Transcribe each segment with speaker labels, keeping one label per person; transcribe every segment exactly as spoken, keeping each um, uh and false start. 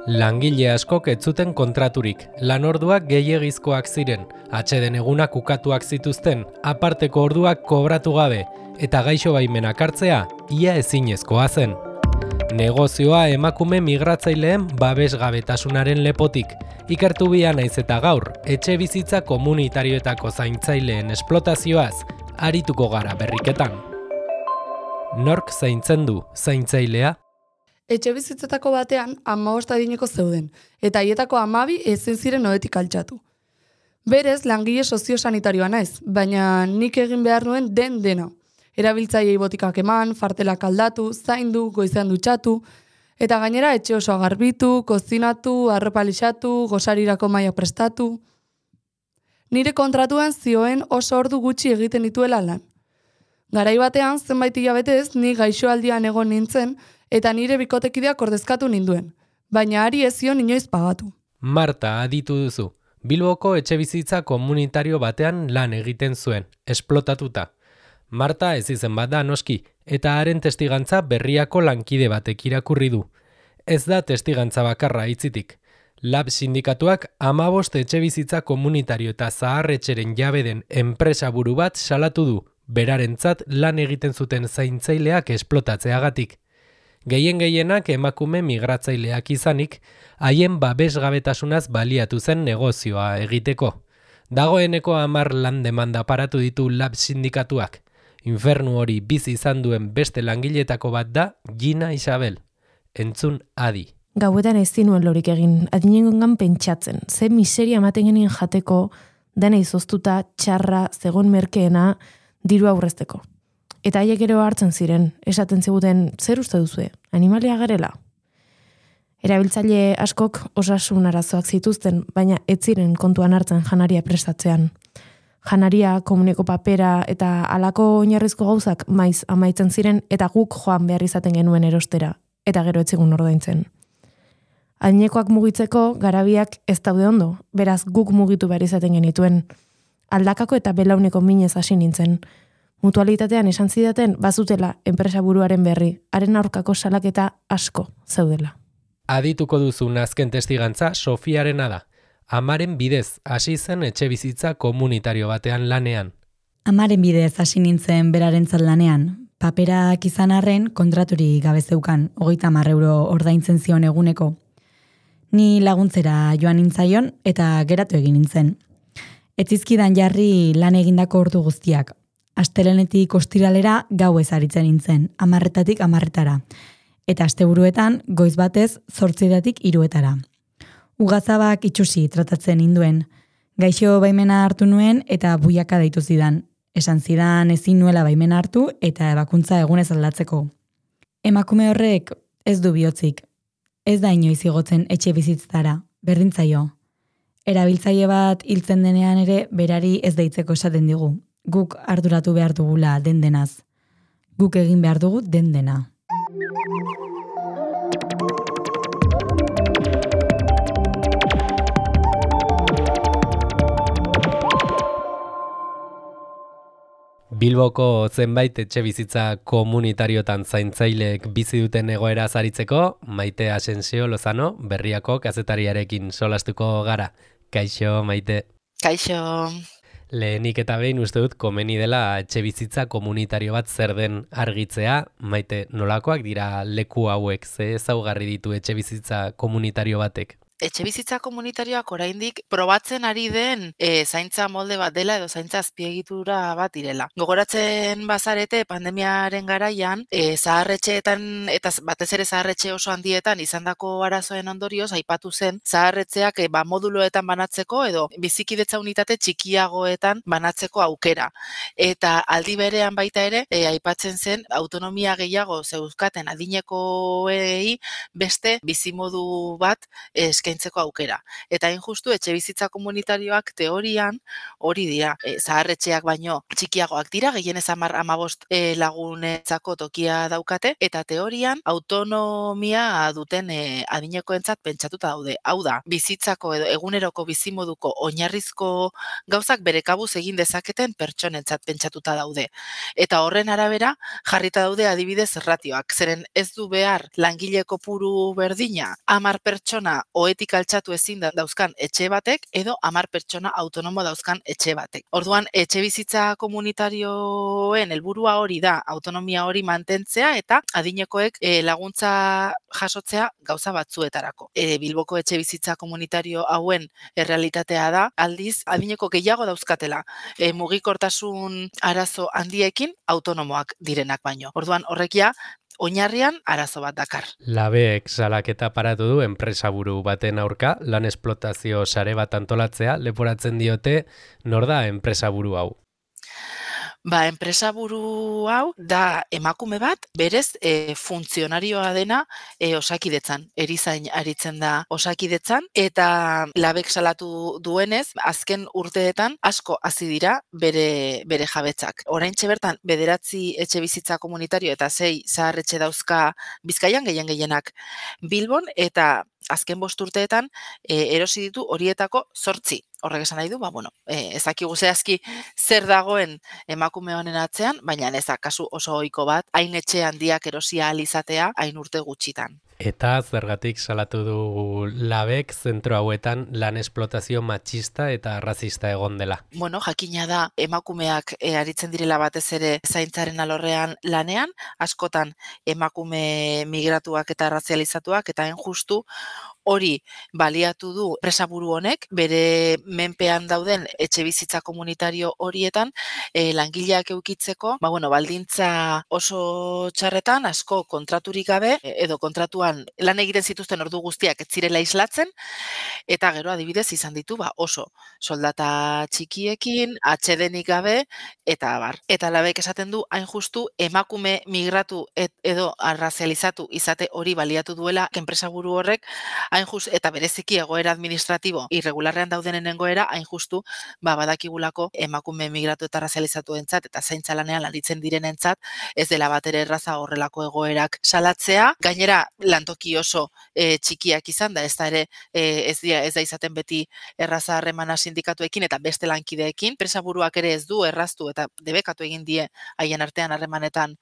Speaker 1: Langile askok ez zuten kontraturik, lanorduak gehiegizkoak ziren, atseden egunak ukatuak zituzten, aparteko orduak kobratu gabe, eta gaixo baimenak hartzea, ia ezinezkoa zen. Negozioa emakume migratzaileen babesgabetasunaren lepotik, ikertu bia naiz eta gaur, etxe bizitza komunitarioetako zaintzaileen esplotazioaz, arituko gara berriketan. Nork zaintzen du zaintzailea?
Speaker 2: Etxe bizitzetako batean hamabost adineko zeuden, eta haietako hamabi ezin ziren ohetik altxatu. Berez, langile soziosanitarioa naiz, baina nik egin behar nuen den dena. Erabiltzaileei botikak eman, fartelak aldatu, zaindu, goizean dutxatu, eta gainera etxe osoa garbitu, kozinatu, arropa lixatu, gosarirako mailak prestatu. Nire kontratuan zioen oso ordu gutxi egiten dituela lan. Garai batean, zenbait hilabetez, ni gaixoaldian egon nintzen, eta nire bikotekideak ordezkatu ninduen, baina ari ez zion inoiz pagatu.
Speaker 1: Marta aditu duzu, Bilboko etxebizitza komunitario batean lan egiten zuen, esplotatuta. Marta ez izen bat da noski, eta haren testigantza berriako lankide batek irakurri du. Ez da testigantza bakarra hitzitik. Lab sindikatuak hamabost etxebizitza komunitario eta zaharretxeren jabe den enpresa buru bat salatu du, berarentzat lan egiten zuten zaintzaileak esplotatzeagatik. Gehien gehienak emakume migratzaileak izanik, haien babesgabetasunaz baliatu zen negozioa egiteko. Dagoeneko hamar lan demanda paratu ditu lab sindikatuak. Infernu hori bizi izan duen beste langiletako bat da Gina Isabel. Entzun adi.
Speaker 3: Gauetan ez zinuen lorik egin, adinengongan pentsatzen, ze miseria ematen genien jateko, dena izoztuta, txarra, zegon merkeena, diru aurrezteko. Eta haiek ere hartzen ziren, esaten ziguten, zer uste duzue, animalia garela? Erabiltzaile askok osasun arazoak zituzten, baina ez ziren kontuan hartzen janaria prestatzean. Janaria, komuneko papera eta halako oinarrizko gauzak maiz amaitzen ziren eta guk joan behar izaten genuen erostera, eta gero etzigun ordaintzen. Adinekoak mugitzeko garabiak ez daude ondo, beraz guk mugitu behar izaten genituen. Aldakako eta belauneko minez hasi nintzen. Mutualitatean esan zidaten bazutela enpresa buruaren berri, haren aurkako salaketa asko zeudela.
Speaker 1: Adituko duzun azken testigantza Sofiarena da. Amaren bidez hasi zen etxe bizitza komunitario batean lanean.
Speaker 4: Amaren bidez hasi nintzen berarentzat lanean. Paperak izan arren kontraturi gabe zeukan, hogeita hamar euro ordaintzen zion eguneko. Ni laguntzera joan nintzaion eta geratu egin nintzen. Etzizkidan jarri lan egindako ordu guztiak. Astelenetik ostiralera gauez aritzen nintzen, amarretatik amarretara. Eta asteburuetan goiz batez zortzidatik hiruetara. Ugazabak itxusi tratatzen ninduen. Gaixo baimena hartu nuen eta buiaka deitu zidan. Esan zidan ezin nuela baimena hartu eta ebakuntza egunez aldatzeko. Emakume horrek ez du bihotzik. Ez da inoiz igotzen etxe bizitzara, berdintzaio. Erabiltzaile bat hiltzen denean ere berari ez deitzeko esaten digu. Guk arduratu behar dugula den denaz. Guk egin behar dugu den dena.
Speaker 1: Bilboko zenbait etxe bizitza komunitariotan zaintzaileek bizi duten egoera zaritzeko, Maite Asensio Lozano, Berriako kazetariarekin solastuko gara. Kaixo, Maite.
Speaker 5: Kaixo.
Speaker 1: Lehenik eta behin uste dut komeni dela etxe bizitza komunitario bat zer den argitzea. Maite, nolakoak dira leku hauek, ze ezaugarri ditu etxe bizitza komunitario batek?
Speaker 5: Etxe bizitza komunitarioak oraindik probatzen ari den e, zaintza molde bat dela edo zaintza azpiegitura bat direla. Gogoratzen bazarete pandemiaren garaian, e, zaharretxeetan eta batez ere zaharretxe oso handietan izandako arazoen ondorioz aipatu zen zaharretxeak e, ba, moduloetan banatzeko edo bizikidetza unitate txikiagoetan banatzeko aukera. Eta aldi berean baita ere e, aipatzen zen autonomia gehiago zeuzkaten adinekoei beste bizimodu bat eskaintzeko eskaintzeko aukera. Eta hain justu etxe bizitza komunitarioak teorian hori dira. E, zaharretxeak baino txikiagoak dira, gehienez hamar hamabost e, lagunetzako tokia daukate, eta teorian autonomia duten e, adinekoentzat pentsatuta daude. Hau da, bizitzako edo eguneroko bizimoduko oinarrizko gauzak bere kabuz egin dezaketen pertsonentzat pentsatuta daude. Eta horren arabera jarrita daude adibidez ratioak. Zeren ez du behar langile kopuru berdina hamar pertsona ohetik altxatu ezin da dauzkan etxe batek edo hamar pertsona autonomo dauzkan etxe batek. Orduan etxe bizitza komunitarioen helburua hori da, autonomia hori mantentzea eta adinekoek e, laguntza jasotzea gauza batzuetarako. E, Bilboko etxe bizitza komunitario hauen errealitatea da, aldiz adineko gehiago dauzkatela e, mugikortasun arazo handiekin autonomoak direnak baino. Orduan horrekia oinarrian arazo bat dakar.
Speaker 1: Labek salaketa paratu du enpresaburu baten aurka, lan esplotazio sare bat antolatzea leporatzen diote, nor da enpresaburu hau?
Speaker 5: Ba, enpresaburu hau da emakume bat, berez e, funtzionarioa dena e, osakidetzan, erizain aritzen da osakidetzan, eta labek salatu duenez, azken urteetan asko hasi dira bere, bere jabetzak. Oraintxe bertan, bederatzi etxe bizitza komunitario eta sei zaharretxe dauzka Bizkaian gehien gehienak Bilbon, eta azken bost urteetan e, erosi ditu horietako zortzi. Horrek esan nahi du, ba, bueno, e, ezakigu zehazki zer dagoen emakume honen atzean, baina ez da kasu oso ohiko bat, hain etxe handiak erosia ahal izatea, hain urte gutxitan.
Speaker 1: Eta zergatik salatu du labek zentro hauetan lan esplotazio matxista eta razista egon dela.
Speaker 5: Bueno, jakina da emakumeak e, aritzen direla batez ere zaintzaren alorrean lanean, askotan emakume migratuak eta razializatuak eta hain justu hori baliatu du enpresaburu honek, bere menpean dauden etxe bizitza komunitario horietan e, langileak eukitzeko, ba, bueno, baldintza oso txarretan, asko kontraturik gabe, edo kontratuan lan egiten zituzten ordu guztiak ez zirela islatzen, eta gero adibidez izan ditu ba, oso soldata txikiekin, atsedenik gabe, eta abar. Eta labek esaten du, hain justu, emakume migratu et, edo arrazializatu izate hori baliatu duela enpresaburu horrek, hain just, eta bereziki egoera administratibo irregularrean daudenen egoera, hain justu, ba, badakigulako emakume migratu eta razializatu entzat, eta zaintza lanean lanitzen direnentzat, ez dela bat ere erraza horrelako egoerak salatzea. Gainera, lantoki oso e, txikiak izan da, ez da ere e, ez, dira, ez da izaten beti erraza harremana sindikatuekin eta beste lankideekin. Enpresaburuak ere ez du erraztu eta debekatu egin die haien artean harremanetan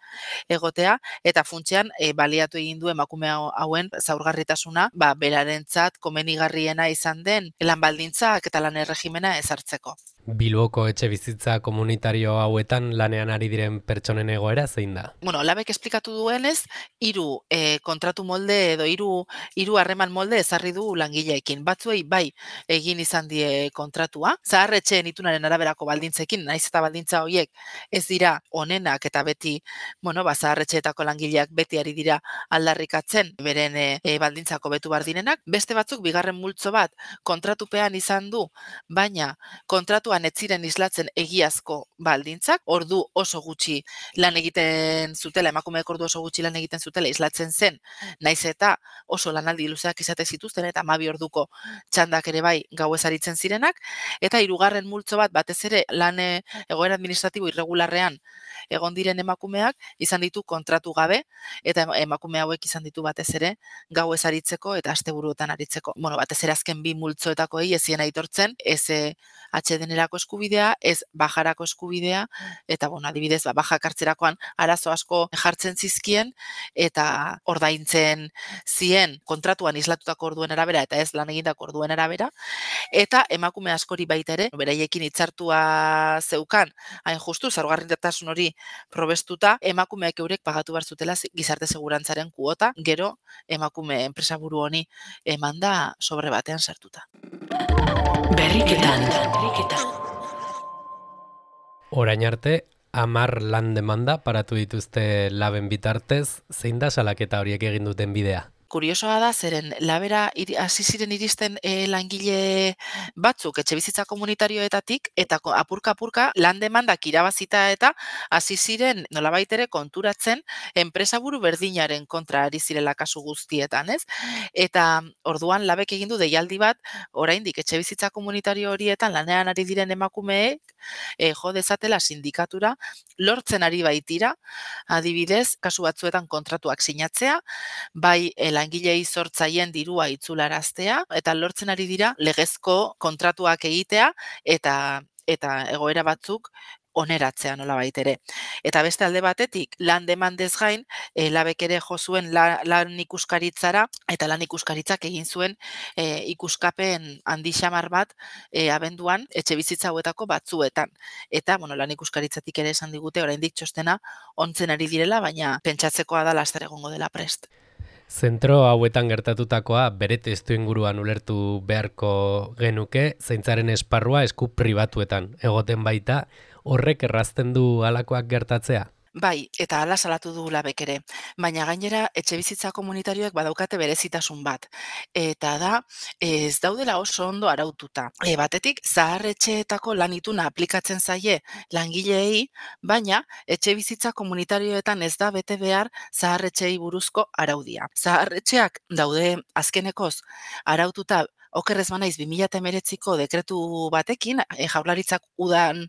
Speaker 5: egotea, eta funtsean e, baliatu egin du emakume hauen zaurgarritasuna, ba, berarentzat komenigarriena izan den lan baldintzak eta lan erregimena ezartzeko.
Speaker 1: Bilboko etxe bizitza komunitario hauetan lanean ari diren pertsonen egoera zein da?
Speaker 5: Bueno, labek esplikatu duenez, hiru e, kontratu molde edo hiru hiru harreman molde ezarri du langileekin. Batzuei bai egin izan die kontratua, zaharretxeen itunaren araberako baldintzekin, naiz eta baldintza horiek ez dira onenak eta beti, bueno, ba, zaharretxeetako langileak beti ari dira aldarrikatzen beren e, e, baldintzako betu bar direnak. Beste batzuk bigarren multzo bat kontratupean izan du, baina kontratu ez ziren islatzen egiazko baldintzak, ordu oso gutxi lan egiten zutela, emakumeek ordu oso gutxi lan egiten zutela islatzen zen, naiz eta oso lanaldi luzeak izate zituzten eta hamabi orduko txandak ere bai gauez aritzen zirenak, eta hirugarren multzo bat batez ere lan egoera administratibo irregularrean egon diren emakumeak izan ditu kontratu gabe, eta emakume hauek izan ditu batez ere gauez aritzeko eta asteburuetan aritzeko. Bueno, batez ere azken bi multzoetakoei ezien aitortzen, ez atsedenerako eskubidea, ez bajarako eskubidea, eta bueno, adibidez, ba, bajak hartzerakoan arazo asko jartzen zizkien, eta ordaintzen zien kontratuan islatutako orduen arabera, eta ez lan egindako orduen arabera, eta emakume askori baita ere, beraiekin hitzartua zeukan, hain justu, zaurgarritasun hori probestuta, emakumeak eurek pagatu behar zutela gizarte segurantzaren kuota, gero emakume enpresaburu honi emanda sobre batean sartuta.
Speaker 6: Berriketan.
Speaker 1: Orain arte, hamar lan demanda paratu dituzte laben bitartez, zein da salaketa horiek egin duten bidea?
Speaker 5: kuriosoa da, zeren labera iri- hasi ziren iristen e, langile batzuk etxe bizitza komunitarioetatik, eta ko- apurka-apurka lan demandak irabazita eta hasi ziren nolabait ere konturatzen enpresaburu berdinaren kontra ari zirela kasu guztietan, ez? Eta orduan labek egin du deialdi bat, oraindik etxe bizitza komunitario horietan lanean ari diren emakumeek e, jo dezatela sindikatura lortzen ari baitira, adibidez, kasu batzuetan kontratuak sinatzea, bai e, langilei sortzaien dirua itzularaztea, eta lortzen ari dira legezko kontratuak egitea, eta eta egoera batzuk oneratzea nolabait ere. Eta beste alde batetik, lan demandez gain, e, labek ere jo zuen la, lan ikuskaritzara, eta lan ikuskaritzak egin zuen e, ikuskapen handi xamar bat e, abenduan etxe bizitza hauetako batzuetan. Eta, bueno, lan ikuskaritzatik ere esan digute, oraindik txostena ontzen ari direla, baina pentsatzekoa da laster egongo dela prest.
Speaker 1: Zentro hauetan gertatutakoa bere testu inguruan ulertu beharko genuke, zaintzaren esparrua esku pribatuetan egoten baita, horrek errazten du halakoak gertatzea?
Speaker 5: Bai, eta hala salatu du labek ere. Baina gainera etxe bizitza komunitarioek badaukate berezitasun bat. Eta da, ez daudela oso ondo araututa. E, batetik, zahar etxeetako lan ituna aplikatzen zaie langileei, baina etxe bizitza komunitarioetan ez da bete behar zahar etxeei buruzko araudia. Zahar etxeak daude azkenekoz araututa, okerrez banaiz bi mila hemeretziko dekretu batekin, e, Jaurlaritzak udan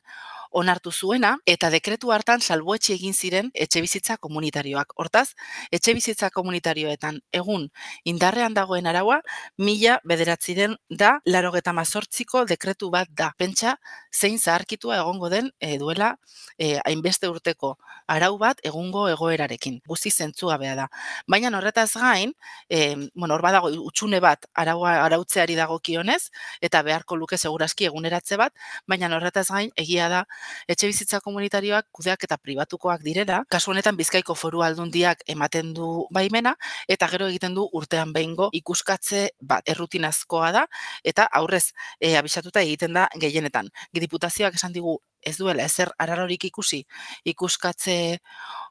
Speaker 5: onartu zuena, eta dekretu hartan salbuetsi egin ziren etxe bizitza komunitarioak. Hortaz, etxe bizitza komunitarioetan egun indarrean dagoen araua, mila bederatziren da, larogeta mazortziko dekretu bat da. Pentsa, zein zaharkitua egongo den e, duela e, hainbeste urteko arau bat egungo egoerarekin. Guzti zentzugabea da. Baina horretaz gain, e, bueno, hor badago utxune bat araua arautzeari dagokionez, eta beharko luke segurazki eguneratze bat, baina horretaz gain egia da etxe bizitza komunitarioak kudeak eta pribatukoak direla, kasu honetan Bizkaiko Foru Aldundiak ematen du baimena, eta gero egiten du urtean behingo ikuskatze bat, errutinazkoa da, eta aurrez e, abisatuta egiten da gehienetan. Diputazioak esan digu ez duela ezer ararorik ikusi ikuskatze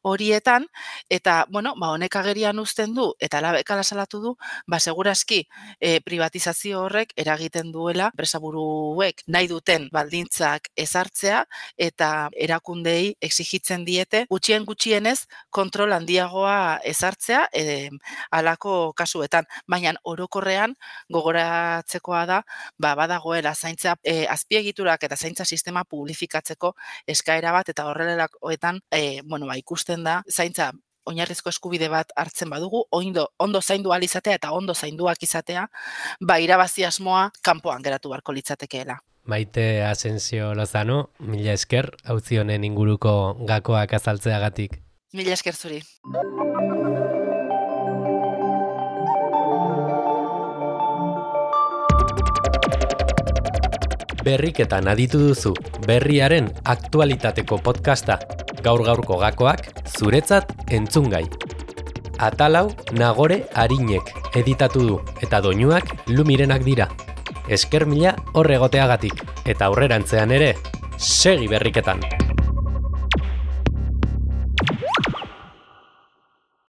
Speaker 5: horietan, eta, bueno, ba, honek agerian uzten du, eta labek ala salatu du, ba, segurazki e, privatizazio horrek eragiten duela enpresaburuek nahi duten baldintzak ezartzea, eta erakundei exigitzen diete, gutxien gutxienez kontrol handiagoa ezartzea, e, halako kasuetan, baina orokorrean gogoratzekoa da, ba, badagoela zaintza e, azpiegiturak eta zaintza sistema publifikatzeko eskaera bat, eta horrelakoetan e, bueno, ba, ikusten da zaintza oinarrizko eskubide bat hartzen badugu, oindo, ondo zaindu ahal izatea eta ondo zainduak izatea, ba, irabazi asmoa kanpoan geratu beharko litzatekeela.
Speaker 1: Maite Asensio Lozano, mila esker, auzi honen inguruko gakoak azaltzeagatik.
Speaker 5: Mila esker zuri.
Speaker 1: Berriketan aditu duzu, berriaren aktualitateko podcasta, gaur-gaurko gakoak zuretzat entzungai. Atalau Nagore Arinek editatu du, eta doinuak Lumirenak dira. Esker mila horregoteagatik, eta aurrerantzean ere, segi berriketan!